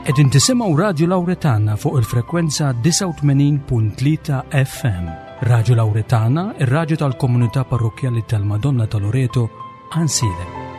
Qegħdin tisimgħu Radju Lawretana fuq il-frekwenza 89.3 FM. Radju Lawretana, ir-radju tal-komunità parrokkjali tal-Madonna ta' Loreto, Ansilem.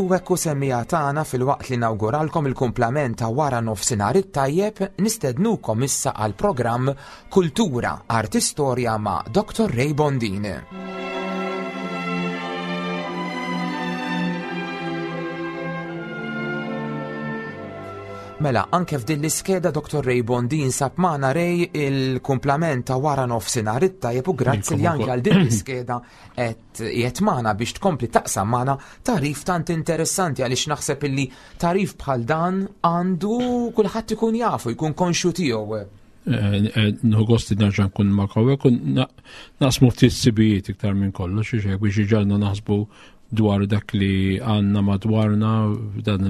U hekk hu semmiegħa tagħna filwaqt li nawguralkom il-kumplament ta' wara nofsinhar it-tajjeb, nistednukom issa għal programm Kultura, Arti Storja ma' Dr. Ray Bondin. Mela, anke f'din l-iskeda Dr. Ray Bondin sab magħna Ray il-kumplament ta' wara nofsinhar it-tajjeb u grazzi li anke għal din l-iskeda qed qiegħed magħna biex tkompli taqsam magħna tarif tant interessanti għaliex naħseb illi tarif bħal dan għandu kulħadd ikun jafu, jkun konxju tiegħu. Eh, eh, nħu gost nerġa' nkun ma' hawnhekk u naqsmu ftit sibijiet iktar minn kollox xi biex iġalna naħsbu dwar dak li għandna madwarna dan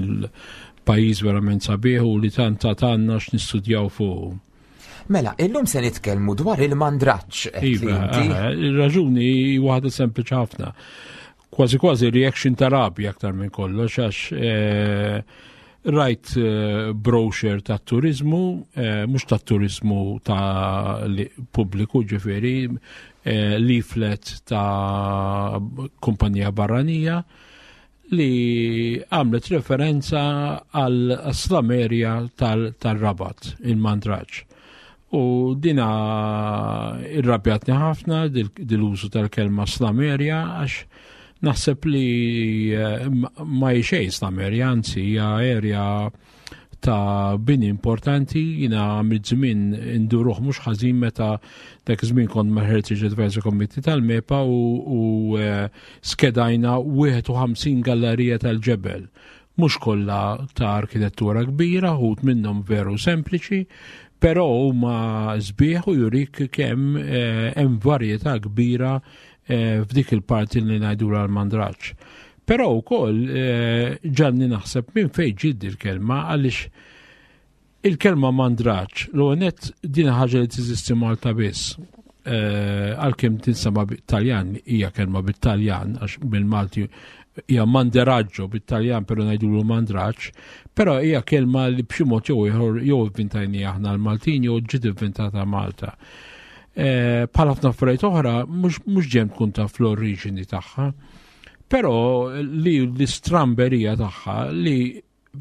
il-pajjiż verament sabiħ u li tant għandna x'nistudjaw fuq. Mela, illum se nitkellmu dwar il-mandraġġ. Iva, eh, il-raġuni waħda sempliċi ħafna. Kważi kważi reaction ta' rabja aktar minn kollox għax eh, rajt eh, brochure ta' turizmu, mhux ta' turizmu ta' pubbliku ġifieri, leaflet ta' kumpanija barranija li għamlet referenza għal slamerja tal-Rabat, il-Mandraġ. U dina irrabjatni ħafna dil-użu tal-kelma slamerja għax naħseb li eh, ma xejn slamerja, anzi hija erja ta' bini importanti, jina għamilt żmien induruh mhux ħażin meta dak żmien kont ma' Heritage Advisory Committee tal-MEPA u, u eh, skedajna 51 gallerija tal-ġebel. Mhux kollha ta' arkitettura kbira, ħut minnhom veru sempliċi, però huma sbieħ u jurik kemm eh, hemm varjetà kbira eh, f'dik il-parti li ngħidula l-mandraġġ. Però wkoll eh, ġanni naħseb minn fejn ġiet il-kelma għaliex il-kelma mandraġġ l net din ħaġa li tiżisti Malta biss. Eh, għalkemm tinsema bit-Taljan hija kelma bit-Taljan għax bil-Malti hija manderaggio bit-Taljan però ngħidulu mandraġġ, però hija kelma li b'xi mod jew ieħor jew ivvintajni aħna l-Maltin jew ġiet ivvintata Malta. Eh, bħal ħafna affarijiet oħra mhux ġem tkun taf l-oriġini tagħha. Però li l-istramberija tagħha li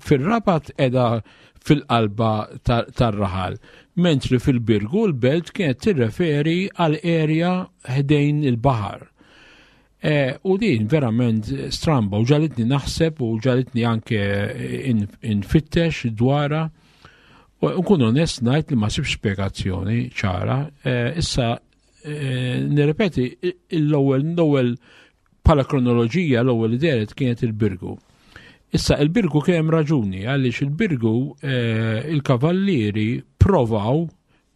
fir-Rabat edha fil-qalba tar-raħal, mentri fil-Birgu l-belt kienet tirreferi għal erja ħdejn il-baħar. E, u din verament stramba u ġalitni naħseb u ġalitni anke infittex dwara. U nkun onest ngħid li ma sibx spjegazzjoni ċara. E, issa Eh, nirrepeti, l-ewwel l-ewwel bħala kronoloġija l-ewwel li deret kienet il-Birgu. Issa il-Birgu kien hemm raġuni għaliex il-Birgu eh, il-kavallieri provaw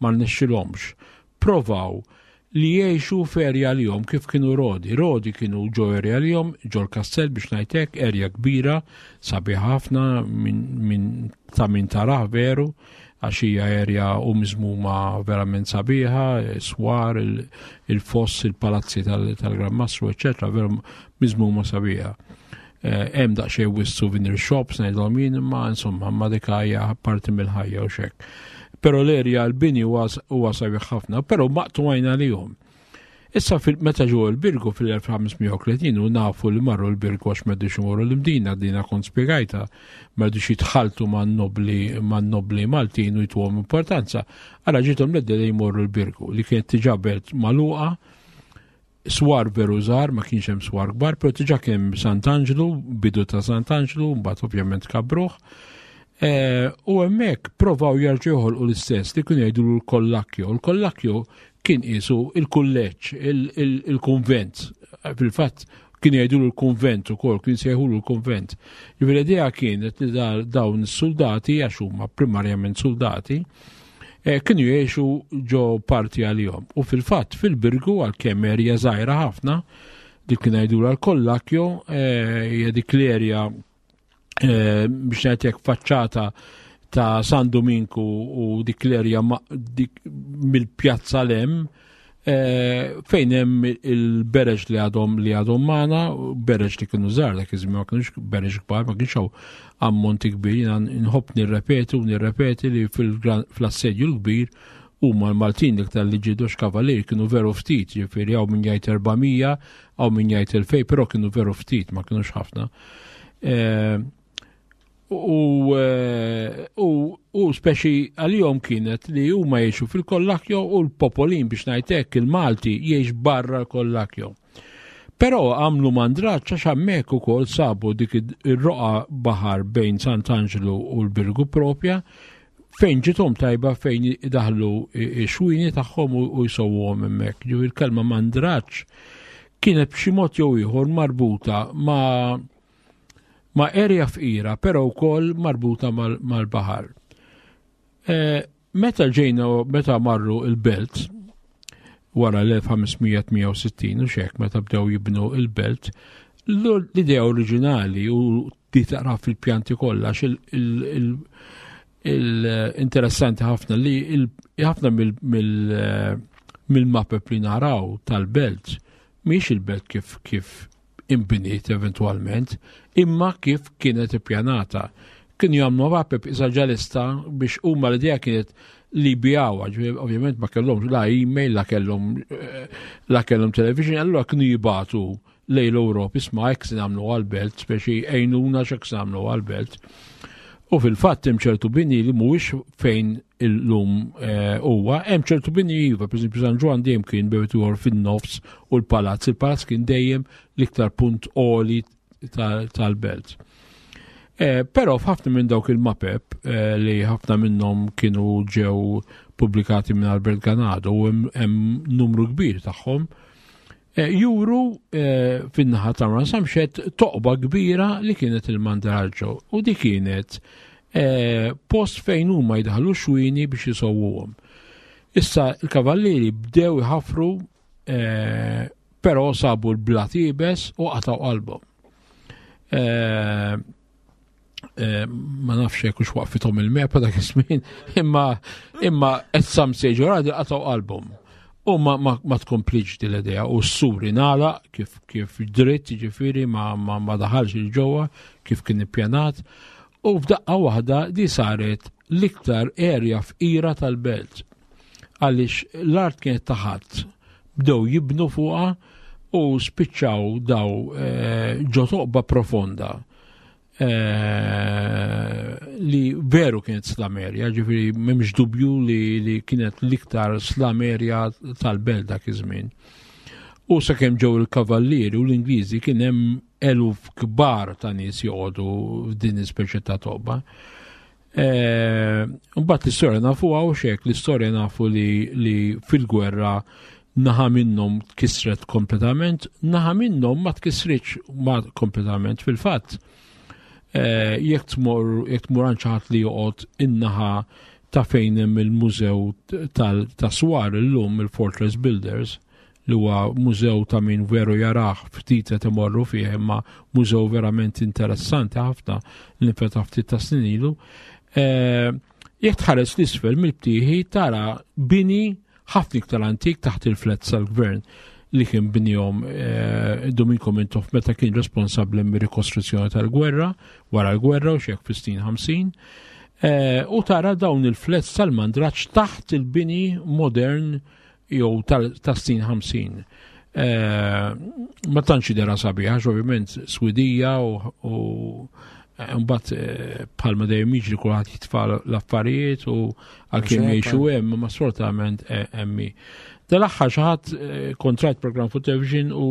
ma rnexxilhomx, provaw li jgħixu f'erja li jom kif kienu Rodi. Rodi kienu ġo erja li jom, ġo l-kastell biex ngħidlek, erja kbira, sabiħ ħafna minn ta' min tarah veru, għax hija erja u miżmuma verament sabiħa, swar, il-foss, il-palazzi tal-Gran Mastru, eċetera, veru miżmuma sabiħa. Eh, hemm daqsxejn wis souvenir shops ngħidhom jien, imma insomma ma dik hija parti mill-ħajja u xek. Però l-erja l-bini huwa sabiħ ħafna, però maqtu għajna lihom. Issa meta ġew il-Birgu fil-1530 u nafu li marru l-Birgu għax m'għedux imorru l-Imdina, dina kont spjegajta, m'għedux jitħaltu man-nobli man-nobli Maltin u jtuhom importanza. Ara ġiethom l li jmorru l-Birgu li kienet diġà belt magħluqa. Swar veru żgħar, ma kienx hemm swar kbar, però diġà kien hemm Sant'Anġlu, bidu ta' Sant'Anġlu, mbagħad ovvjament kabruh. Eh, u hemmhekk provaw jarġgħu joħolqu l-istess li kienu jgħidu l-kollakjo. L-kollakjo kien qisu il-kulleġġ, il-kunvent. Fil-fatt kienu jgħidu l-kunvent ukoll, kien sejħulu l-kunvent. Ġifieri l-idea kienet li dawn is-soldati għax huma primarjament soldati, eh, kienu jgħixu ġo parti għalihom. U fil-fatt fil-Birgu għalkemm erja żgħira ħafna, dik kien jgħidulha l-Kollakjo, eh, hija dik l-erja eh, biex ngħidlek faċċata ta' San Dominku u dik l-erja mill-pjazza l-hemm Eh, fejn hemm il-bereġ li għadhom li għadhom magħna, bereġ li kienu żgħar dak iż-żmien ma kienux bereġ kbar, ma kienx hawn ammonti kbir, jiena nħobb nirrepeti u nirrepeti li fl-assedju l-kbir huma l-Maltin l-iktar li ġiedu x'kavalier kienu veru ftit, ġifieri hawn min jgħid 400, hawn min jgħid 2000, però kienu veru ftit, ma kienux ħafna. Eh, U, eh, u, u speċi għalihom kienet li huma jgħixu fil-kollakjo u l-popolin biex ngħidlek il-Malti jgħix barra l-kollakjo. Però għamlu mandraċ għax hemmhekk ukoll sabu dik ir-roqa baħar bejn Sant'Anġlu u l-Birgu propja fejn ġitom tajba fejn daħlu xwini tagħhom u jsowwhom hemmhekk. Ġifieri il-kelma mandraċ kienet b'xi mod jew ieħor marbuta ma' ma' erja fqira però wkoll marbuta mal-baħar. E, meta ġejna meta marru il-belt wara l-1568 u xek meta bdew jibnu il-belt, l-idea oriġinali u di taqra fil-pjanti kollha il-interessanti ħafna li ħafna mill-mapep li naraw tal-belt miex il-belt kif kif inbniet eventwalment, imma kif kienet ippjanata. Kienu jagħmlu mapep isa ġalista biex huma l-idea kienet li bijawha, ovvjament ma kellhomx la email, la kellhom eh, la kellhom television, allura kienu jibatu lejn l-Ewropa isma' hekk se nagħmlu għall-belt, speċi għejnuna x'hekk se nagħmlu għall-belt. U fil-fatt hemm ċertu bini li mhuwiex fejn illum eh, huwa, hemm ċertu bini iva, pereżempju San Ġwann dejjem kien bejt ieħor fin-nofs u l-palazz, il-palazz kien dejjem l-iktar punt għoli tal-belt. Eh, però f'ħafna minn dawk il-mapep eh, li ħafna minnhom kienu ġew pubblikati minn Albert Ganado u hemm numru kbir tagħhom, Eh, juru eh, fin-naħa ta' Ransamxet toqba kbira li kienet il-Mandraġġo u di kienet eh, post fejn huma jdaħlu xwini biex jisowuhom. Issa il-kavallieri bdew iħafru però sabu l-blat ibes u qataw qalbhom. Eh, ma nafx jekk hux waqfithom il-mepa dak iż-żmien, imma imma at some stage or other qatgħu qalbhom. U ma, ma, ma tkomplix din l-idea u s-sur ingħalaq kif kif dritt jiġifieri ma, ma, ma daħalx il-ġewwa kif kien ippjanat u f'daqqa waħda di saret l-iktar erja fqira tal-belt għaliex l-art kienet taħat bdew jibnu fuqha u spiċċaw daw eh, ġo toqba profonda Eh, li veru kienet slamerja, ġifiri memx dubju li, li kienet l-iktar slamerja tal-belt dak iż-żmien. U sakemm ġew il-kavallieri u l-Ingliżi kien hemm eluf kbar ta' nies joqogħdu f'din ispeċi ta' toba. Eh, mbagħad l-istorja nafu għaw xek, l-istorja nafu li, li fil-gwerra naħa minnhom tkissret kompletament, naħa minnhom ma tkissritx ma kompletament fil-fatt. Eh, jekk tmur jekk tmur għand ħadd li joqgħod in-naħa ta' fejn hemm il-mużew ta' swar illum il-Fortress Builders, li huwa mużew ta' min veru jarah ftit qed imorru fih imma mużew verament interessanti ħafna li nfetaħ ftit ta' snin ilu. Eh, jekk tħares l-isfel mill-btieħi tara bini ħafna iktar antik taħt il-flets tal-gvern li kien binjom eh, Domenico Mintoff meta kien responsabbli mir-rikostruzzjoni tal-gwerra wara l-gwerra u xek fis-snin 50. Eh, u tara dawn il-flets tal-mandraċ taħt il-bini modern jew tas-snin 50. Eh, ma tantx idera sabiħa, ovvjament Swidija u Mbagħad eh, bħalma dejjem jiġri kulħadd jitfa' l-affarijiet u għalkemm jgħixu hemm, ma sfortunatament eh, hemmi. Dal-aħħar xi ħadd eh, kontrajt programm fuq television u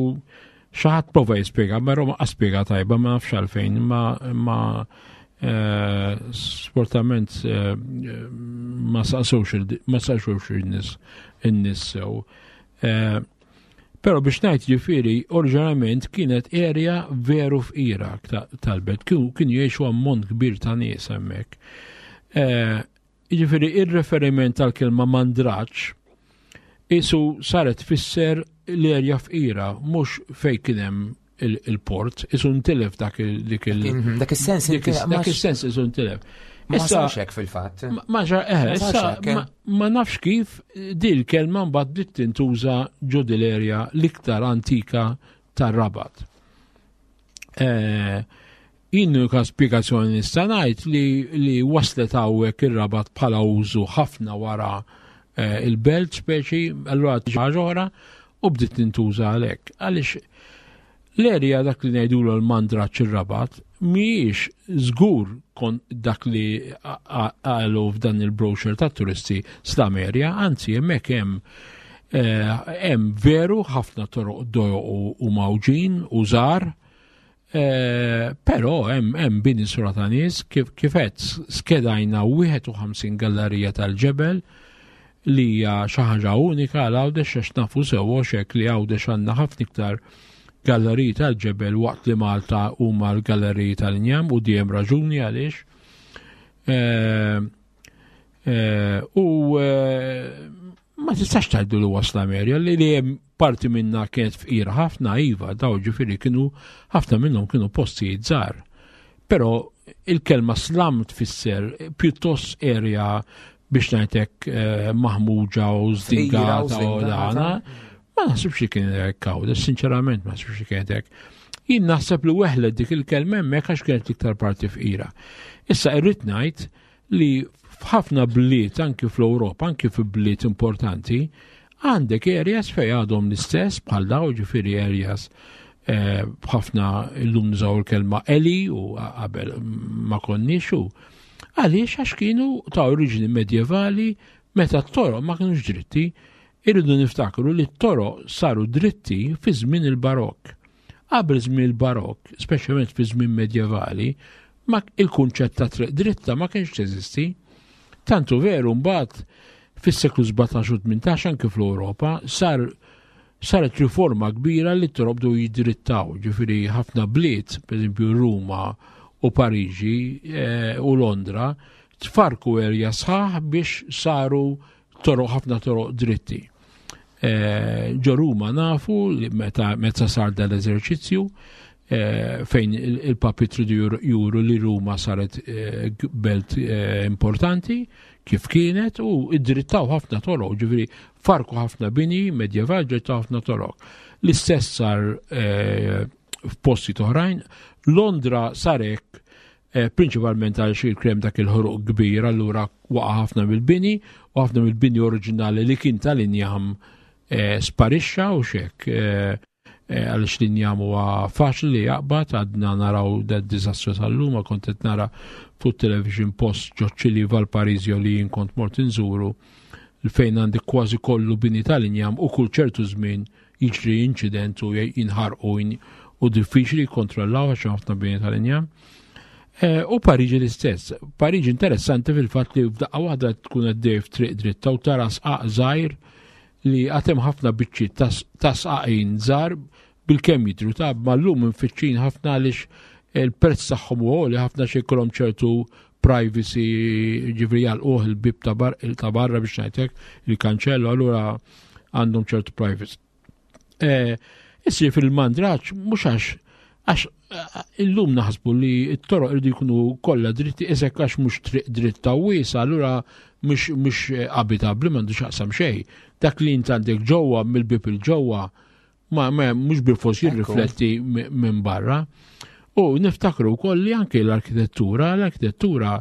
xi ħadd prova jispjega, ma Roma spjega tajba ma nafx għalfejn, ma ma sfortunatament ma saqsux ma saqsux in-nies in-nies sew. Però biex ngħid ġifieri, oriġinarjament kienet area veru fqira tal-belt, kienu jgħixu ammont kbir ta' nies hemmhekk. Eh, ġifieri ir-referiment tal-kelma mandraġġ isu saret tfisser l-erja fqira, mhux fejn kien hemm il-port, isu ntilef dak dik il- mhm, Dak is-sens Dak is-sens isu ntilef. Ma sarx hekk fil-fatt. Ma ġar eh, issa eh. ma nafx kif di l-kelma mbagħad bdiet tintuża ġo l-erja l-iktar antika tar-Rabat. Eh, jien l-unika spjegazzjoni nista' ngħid li, li waslet hawnhekk ir-Rabat bħala użu ħafna wara eh, il-belt speċi, allura ħaġa oħra u bdiet tintuża għalhekk. Għaliex l-erja dak li ngħidulu l-mandraċ ir-Rabat mhijiex żgur kon dak li qalu f'dan il-brochure ta' turisti slum area, anzi hemmhekk hemm eh, hemm veru ħafna toroq dojoq u mawġin u żgħar, eh, però hemm bini sura ta' nies kif qed skedajna 51 gallerija tal-ġebel li hija xi ħaġa unika għal Għawdex għax nafu sewwa xek li Għawdex għandna ħafna iktar galleriji tal-ġebel waqt li Malta huma l-galleriji tal-injam u dejjem raġuni għaliex. Eh, eh, u eh, ma tistax tgħidu li wasla Amerija li li hemm parti minna kienet fqira ħafna iva daw ġifieri kienu ħafna minnhom kienu postijiet żgħar. Però il-kelma slam tfisser pjuttost area biex ngħidlek eh, maħmuġa u zdingata u dana. Ma naħsibx li kien hekk hawn, sinċerament ma naħsibx li kien hekk. Jien naħseb li weħlet dik il-kelma hemmhekk għax kienet iktar parti fqira. Issa irrid ngħid li f'ħafna bliet anki fl-Ewropa, anki fi bliet importanti, għandek areas fej għadhom l-istess bħal daw ġifieri areas eh, b'ħafna illum nużaw il-kelma eli u qabel ma konniex u Għaliex għax kienu ta' oriġini medjevali meta t-toroq ma kienux dritti, irridu niftakru li t-toroq saru dritti fi żmien il-barokk. Qabel żmien il-barokk, speċjalment fi żmien medjevali, ma il-kunċett ta' triq dritta ma kienx teżisti. Tantu veru mbagħad fis-seklu 17 u 18 anke fl-Ewropa sar saret riforma kbira li t-toroq bdew jidrittaw, ġifieri ħafna bliet, pereżempju Ruma u Pariġi eh, u Londra, tfarku erja sħaħ biex saru toroq ħafna toroq dritti. Eh, ġo Ruma nafu li meta, meta sar dal-eżerċizzju eh, fejn il-papi tridu juru li Ruma saret eh, belt importanti kif kienet u id-drittaw ħafna toroq, ġifieri farku ħafna bini medjeval drittaw ħafna toroq. L-istess sar f'posti oħrajn, Londra sarek Eh, prinċipalment għal xi krem dak il-ħruq kbir, allura waqa' ħafna mill-bini u ħafna mill-bini oriġinali li kien tal-injam eh, sparixxa u xek eh, għaliex l-injam huwa faċli li jaqbad għadna naraw da diżastru tal-lum kont qed nara fuq television post ġoċċili Valparisio li jien kont mort inżuru fejn għandi kważi kollu bini tal-injam u kull ċertu żmien jiġri inċident u jinħarqu u diffiċli jikkontrollaw għax ħafna bini tal-injam. Eh, u Pariġi l-istess. Pariġi interessanti fil-fatt li f'daqqa waħda tkun għaddej f'triq dritta u tara sqaq żgħir li għatem ħafna biċċi ta' sqaqin żgħar bil-kemm jidru ta' mallum infittxin ħafna għaliex il-prezz tagħhom u li ħafna xi jkollhom ċertu privacy ġifri jgħalquh il-bib ta' barra biex ngħidlek il-kanċellu allura għandhom ċertu privacy. Eh, issir fil-mandraċ mhux għax għax eh, illum naħsbu li t-toroq irridu jkunu kollha dritti isek għax mhux triq dritta wiesa, allura mhux mhux eh, abitabbli m'għandu x'aqsam xejn. Dak li int għandek ġewwa mill-bib il-ġewwa ma, ma mhux bil-fors jirrifletti minn barra. U niftakru wkoll li anke l-arkitettura, l-arkitettura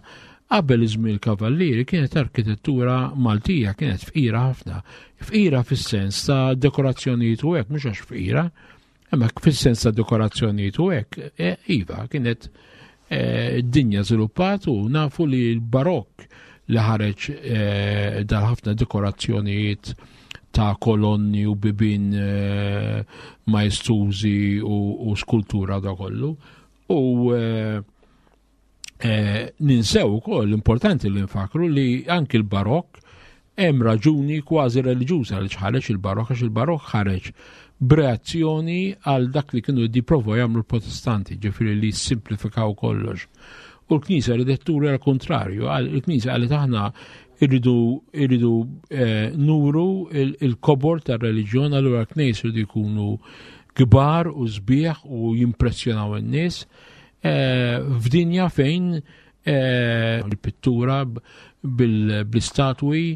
qabel iż-żmien il-Kavallieri kienet arkitettura Maltija, kienet fqira ħafna. Fqira fis-sens ta' dekorazzjonijiet u hekk, mhux għax fqira, imma fis-sens ta' dekorazzjonijiet u hekk, e, iva, kienet eh, id-dinja żviluppat u nafu li l-barokk li ħareġ eh, dal-ħafna dekorazzjonijiet ta' kolonni u bibin eh, maestużi u skultura da kollu. U ninsew ukoll importanti li nfakru li anki l-barokk hemm raġuni kważi reliġjuża li ħareġ il-barokk għax il-barokk ħareġ b'reazzjoni għal dak li kienu jipprovaw jagħmlu l-Protestanti, ġifieri li simplifikaw kollox. U l-Knisja ridet turi għal kontrarju, il-Knisja qalet aħna irridu irridu eh, nuru il-kobor tar-reliġjon allura l-Knisja jridu jkunu kbar u sbieħ u jimpressjonaw in-nies eh, f'dinja fejn eh, il-pittura bl-istatwi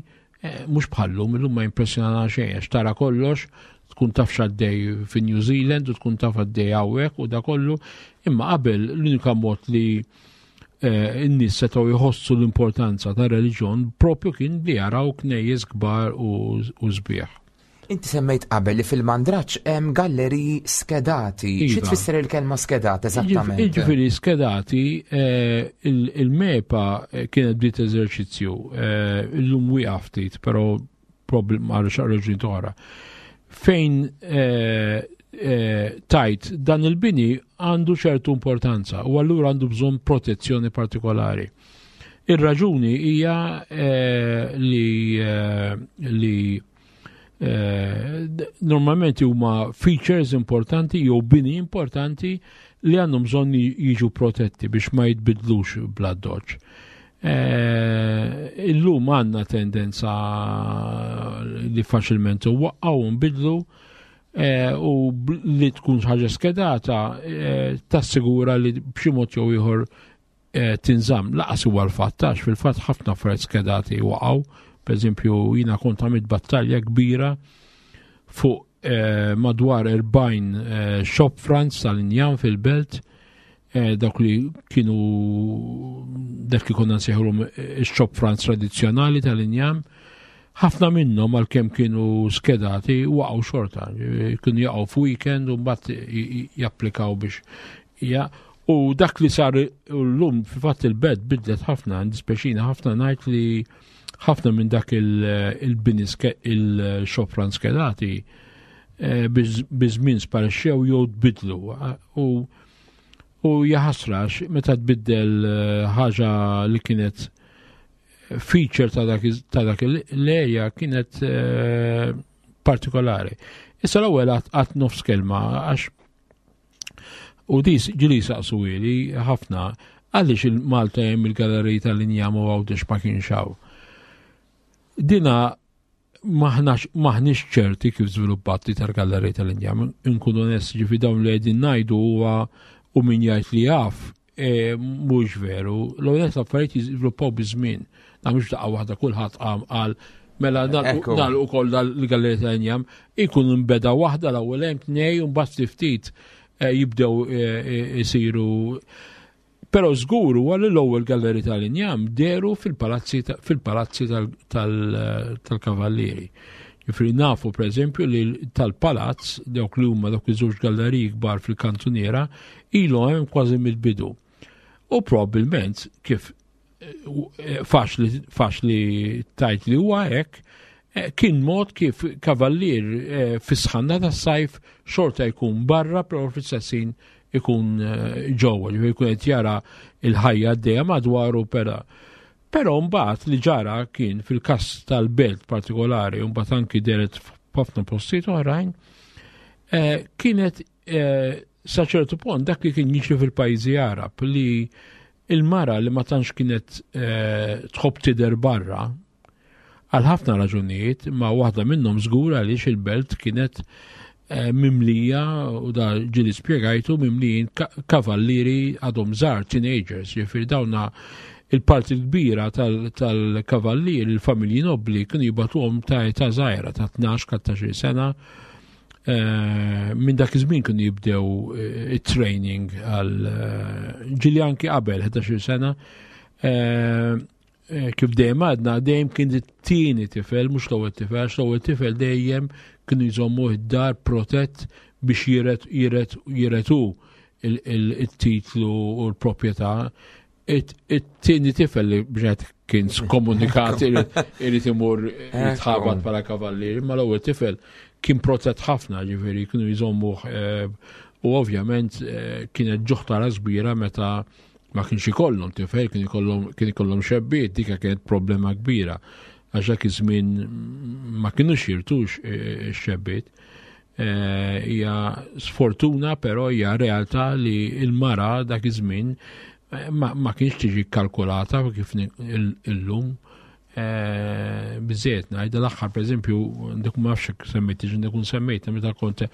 eh, mhux bħallum, illum ma jimpressjonana xejn għax tara kollox tkun taf x'għaddej fi New Zealand u tkun taf għaddej hawnhekk u da kollu, imma qabel l-unika mod li eh, n-nies setgħu jħossu l-importanza ta' reliġjon propju kien li jaraw knejjes kbar u sbieħ. Inti semmejt qabel li fil-mandraġġ hemm galleriji skedati. Xi iva. tfisser il-kelma skedat eżattament? Jiġifieri skedati eh, il-MEPA eh, kienet bdiet eżerċizzju eh, illum wieqaf ftit, però problem għal raġuni oħra. Fejn tajt dan il-bini għandu ċertu importanza u allura għandu bżonn protezzjoni partikolari. Ir-raġuni hija li li Eh, normalment huma features importanti jew bini importanti li għandhom bżonn jiġu protetti biex ma jitbidlux bla doċ. Eh, illum għandna tendenza li faċilment waqqaw nbidlu eh, u li tkun ħaġa skedata tassigura li b'xi mod jew ieħor Eh, tinżamm laqas huwa l-fatt għax fil-fatt ħafna affarijiet skedati waqgħu. Pereżempju, jiena kont għamilt battalja kbira fuq eh, madwar 40 eh, shop fronts tal-injam fil-belt dawk li kienu dak li konna nsejħulhom shop fronts tradizzjonali tal-injam ħafna minnhom għalkemm kienu skedati waqgħu xorta, kienu jaqgħu f'weekend u mbagħad japplikaw biex ja, U dak li sar l-lum, fil-fatt il-bed bidlet ħafna, dispeċina ħafna ngħid li ħafna minn dak il-bini il-xofran skedati eh, biż-żmien sparixxew jew tbidlu. U u jaħasrax meta tbiddel eh, ħaġa li kienet feature ta' dak l-area kienet eh, partikolari. Issa l-ewwel għat nofs kelma għax U dis ġili saqsu ili ħafna għaliex il-Malta hemm il-galeriji tal-injam u Għawdex ma kienx hawn. Dina maħniex ċerti kif żviluppat li tal-galleriji tal-injam. Inkunu onesti ġifi dawn li qegħdin ngħidu huwa u min jgħid li jaf E, mhux veru. L-ewwel affarijiet jiżviluppaw biż-żmien. Da mhux daqqa waħda kulħadd qam qal mela nagħlqu ukoll dal-gallerija ta' injam ikun nbeda waħda l-ewwel hemm tnej u mbagħad ftit e, jibdew e, isiru Però żgur huwa li l-ewwel galleri tal-injam deru fil-palazzi fil-palazzi tal-kavallieri. Ġifieri nafu pereżempju li tal-palazz dawk li huma dawk iż-żewġ galleriji kbar fil-kantuniera ilu hemm kważi mill-bidu. U probabbilment kif eh, faċli tajt li huwa hekk, eh, kien mod kif kavallier eh, fis-sħanna tas-sajf xorta jkun barra però fl-istess ikun ġewwa, ġifieri jkun qed jara l-ħajja għaddejja madwaru pera. Però mbagħad li ġara kien fil-każ tal-belt partikolari u mbagħad anki deret f'ħafna postijiet oħrajn, kienet Eh, sa ċertu punt dak li kien jiġri fil-pajjiżi Arab li il-mara li ma tantx kienet eh, tħobb tidher barra għal ħafna raġunijiet, ma waħda minnhom żgur għaliex il-belt kienet eh, mimlija u da ġili spjegajtu mimlijin kavallieri għadhom żgħar teenagers, ġifieri dawna il-parti kbira tal-kavallieri, il-familji nobli kienu jibatuhom ta' età żgħira ta' 12-14 sena Eh, minn dak iż-żmien kienu jibdew eh, it-training għal eh, ġili anki qabel 11 sena. Kif dejjem għadna, dejjem kien it-tieni tifel, mhux l-ewwel tifel, għax l-ewwel tifel dejjem kienu jżommu id-dar protett biex jiret jiret jiret hu. il-titlu u l-proprjetà. It-tieni tifel li bġet kien skomunikat irid imur jitħabat bħala kavallier, ma l-ewwel tifel kien protett ħafna, ġifieri kienu jżommuh eh, u ovvjament eh, kienet ġuħtara kbira meta ma kienx ikollhom tifel, kien ikollhom kien ikollhom xebbiet, dika kienet problema kbira għax dak iż-żmien ma kinux jirtux eh, x-xebbiet. Eh, hija sfortuna però hija realtà li l-mara dak iż-żmien eh, ma kienx tiġi kalkulata kif illum eh, biżejjed ngħidha l-aħħar pereżempju dik ma nafx semmejt dik semmejt meta kont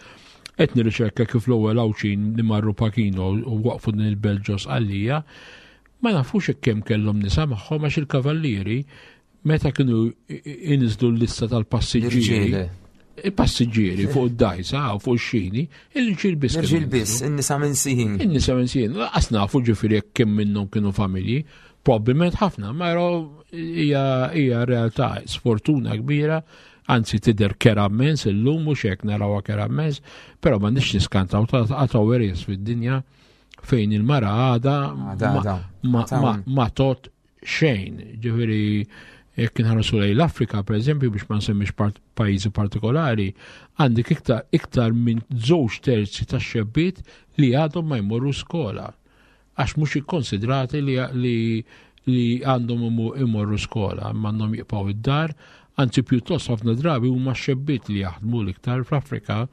qed nirriċerka kif l-ewwel Għawdxin li marru Pachino u waqfu din il-belt ġo Sqallija, ma nafux kemm kellhom nisa magħhom għax il-kavallieri meta kienu inżlu l-lista tal-passiġġieri. Il-passiġġieri fuq id-dajsa u fuq ix-xini, il-ġil biss. Il-ġil biss, in-nisa minn siħin. In-nisa minn siħin. Laqas nafu ġifieri jekk kemm minnhom kienu familji, probabbilment ħafna, ma hija realtà sfortuna kbira anzi tidher kera immens illum mhux hekk narawha kera immens, però ma nix niskantaw ta' għataw fid-dinja fejn il-mara għada ma tot xejn. Ġifieri jekk inħarsu lejn l-Afrika, per eżempju, biex ma nsemmix pajjiżi partikolari, għandek iktar, iktar minn żewġ terzi ta' xebbiet li għadhom ma jmorru skola. Għax mhux ikkonsidrati li, li, li għandhom imorru skola, imma għandhom jibqgħu id-dar, anzi pjuttost ħafna drabi huma xebbiet li jaħdmu l-iktar fl-Afrika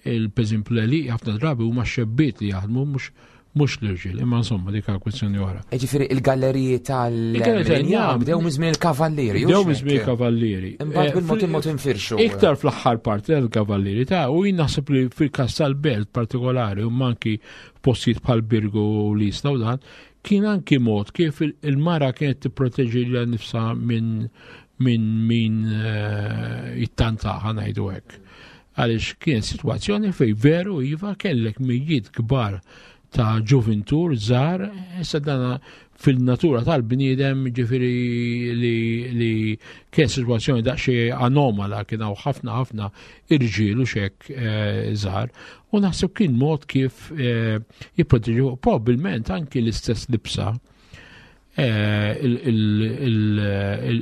il-peżempju l-għelieqi ħafna drabi huma xebbiet li jaħdmu mhux mhux l-irġiel, imma insomma dik kwestjoni oħra. E ġifieri il-galleriji tal-injam bdew minn żmien il-kavallieri. Bdew minn żmien il-kavallieri. Imbagħad eh, bil-mod il-mod infirxu. Iktar fl-aħħar parti tal-kavallieri ta' u jien naħseb li fil-każ tal-belt partikolari u manki postijiet bħal Birgu u Lisna u dan, kien anki mod kif il-mara kienet tipproteġi lilha nifsha minn minn min eh, jittantaħa ngħidu hekk. Għaliex kien sitwazzjoni fej veru iva kellek mijiet kbar ta' ġuvintur żgħar, issa dana fil-natura tal-bniedem ġifiri li, li kien situazzjoni daqsxejn anomala kien hawn ħafna ħafna irġiel u xek eh, żgħar u naħseb kien mod kif eh, jipproteġu probabbilment anki l-istess libsa eh,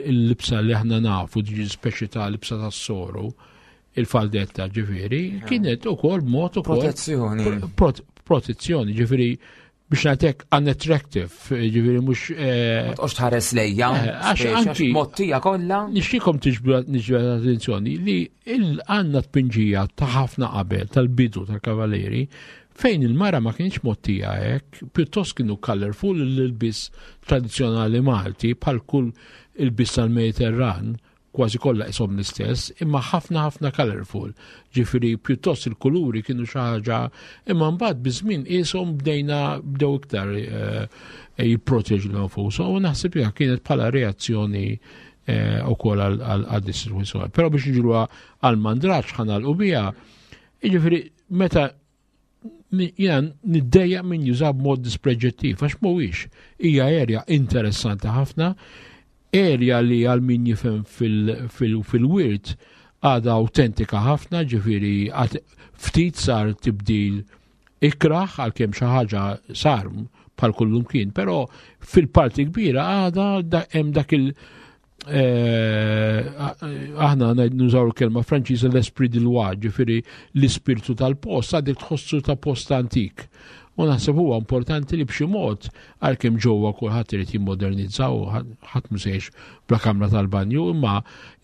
il-libsa li aħna nafu diġi speċi ta' libsa tas-soru il-faldetta ġifiri, kienet ukoll mod ukoll. Protezzjoni. Protezzjoni, ġifiri, biex ngħidlek unattractive, ġifieri mhux. Eh, ma tqgħodx tħares lejja, eh, għax anki mottija kollha. Nixtiekom tiġbdu l-attenzjoni li għandna tpinġija ta' ħafna qabel tal-bidu tal-Kavaleri fejn il-mara ma kienx mottija hekk, pjuttost kienu colorful l-ilbis tradizzjonali Malti bħal kull il-bis tal-Mediterran kważi kollha qishom l-istess, imma ħafna ħafna colorful. Ġifieri pjuttost il-kuluri kienu xi ħaġa, imma mbagħad biż-żmien qishom bdejna bdew iktar eh, jipproteġu nfushom u naħseb li kienet bħala reazzjoni eh, ukoll għal dis-sitwazzjoni. Però biex niġru għal mandraġġ ħanalqu biha, jiġifieri meta jena niddejja minn juża b'mod dispreġettiv, għax mhuwiex. Hija erja interessanti ħafna, erja li għal min jifhem fil-wirt għadha autentika ħafna, ġifieri ftit sar tibdil ikraħ għalkemm xi ħaġa sar bħal kullum kien, però fil-parti kbira għadha hemm dak il- Eh, aħna nużaw il-kelma Franċiża l-esprit di loi, ġifieri l-ispirtu tal-post, għadek tħossu ta' post antik. U naħseb huwa importanti li b'xi mod għalkemm ġewwa kulħadd irid jimmodernizza u ħadd mhu se bla kamra tal-banju, imma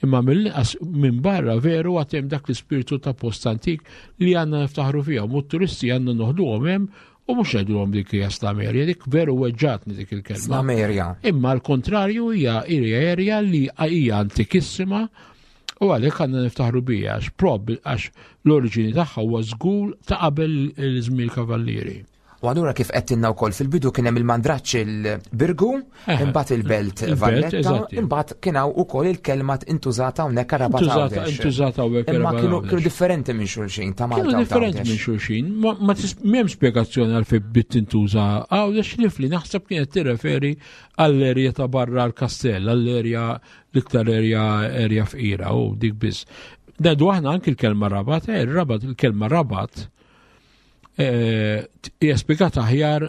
imma mill-inqas minn barra veru għad hemm dak l-ispirtu ta' post antik li għandna niftaħru fiha u t-turisti għandna noħduhom hemm U mhux ngħidulhom dik hija slamerja, dik veru weġġatni dik il-kelma. Slamerja. Imma l-kontrarju hija erja li hija antikissima u għalhekk għandna niftaħru bija għax prob għax l-oriġini tagħha huwa żgur ta' qabel il-żmien kavallieri. U allura kif qed tinna wkoll fil-bidu kien hemm il-mandraċċ il-Birgu, eh, imbagħad il-Belt Valletta, imbagħad kien hawn ukoll il-kelma intużata hawnhekk Rabat Għawdex. Intużata hawnhekk Imma kienu kienu differenti minn xulxin ta' Malta. Kienu differenti minn xulxin, ma m'hemm spjegazzjoni għal bit tintuża Għawdex li fli naħseb kienet tirreferi għall-erja ta' barra l-kastell, għall-erja l-iktar erja erja fqira u dik biss. Nedu aħna anki l-kelma Rabat, eh, rabat il-kelma Rabat. Eh, hija spjegata aħjar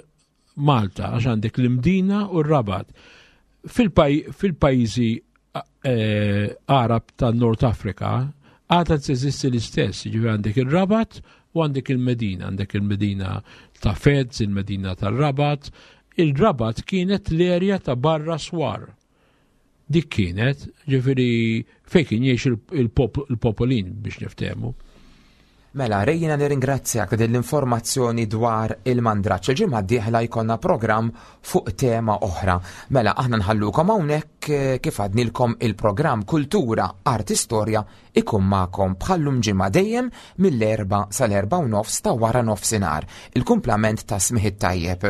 Malta għax għandek l-Imdina u r-Rabat. Fil-pajjiżi eh, Arab ta' Nord Afrika għadha teżisti l-istess, ġifieri għandek ir-Rabat u għandek il-Medina, għandek il-Medina ta' Fez, il-Medina tar-Rabat. Il-Rabat kienet l-erja ta' barra swar. Dik kienet, ġifieri fejn kien jgħix il-popolin biex niftehmu. Mela, Ray jiena nirringrazzjak ta' din l-informazzjoni dwar il-mandraġġ. Il-ġimgħa d-dieħla jkollna programm fuq tema oħra. Mela, aħna nħallukom hawnhekk eh, kif għadnilkom il-programm Kultura, Arti Storja ikun magħkom bħallum ġimgħa dejjem mill-erba sal-erba u nofs ta' wara nofsinhar. Il-kumplament ta' smih it-tajjeb.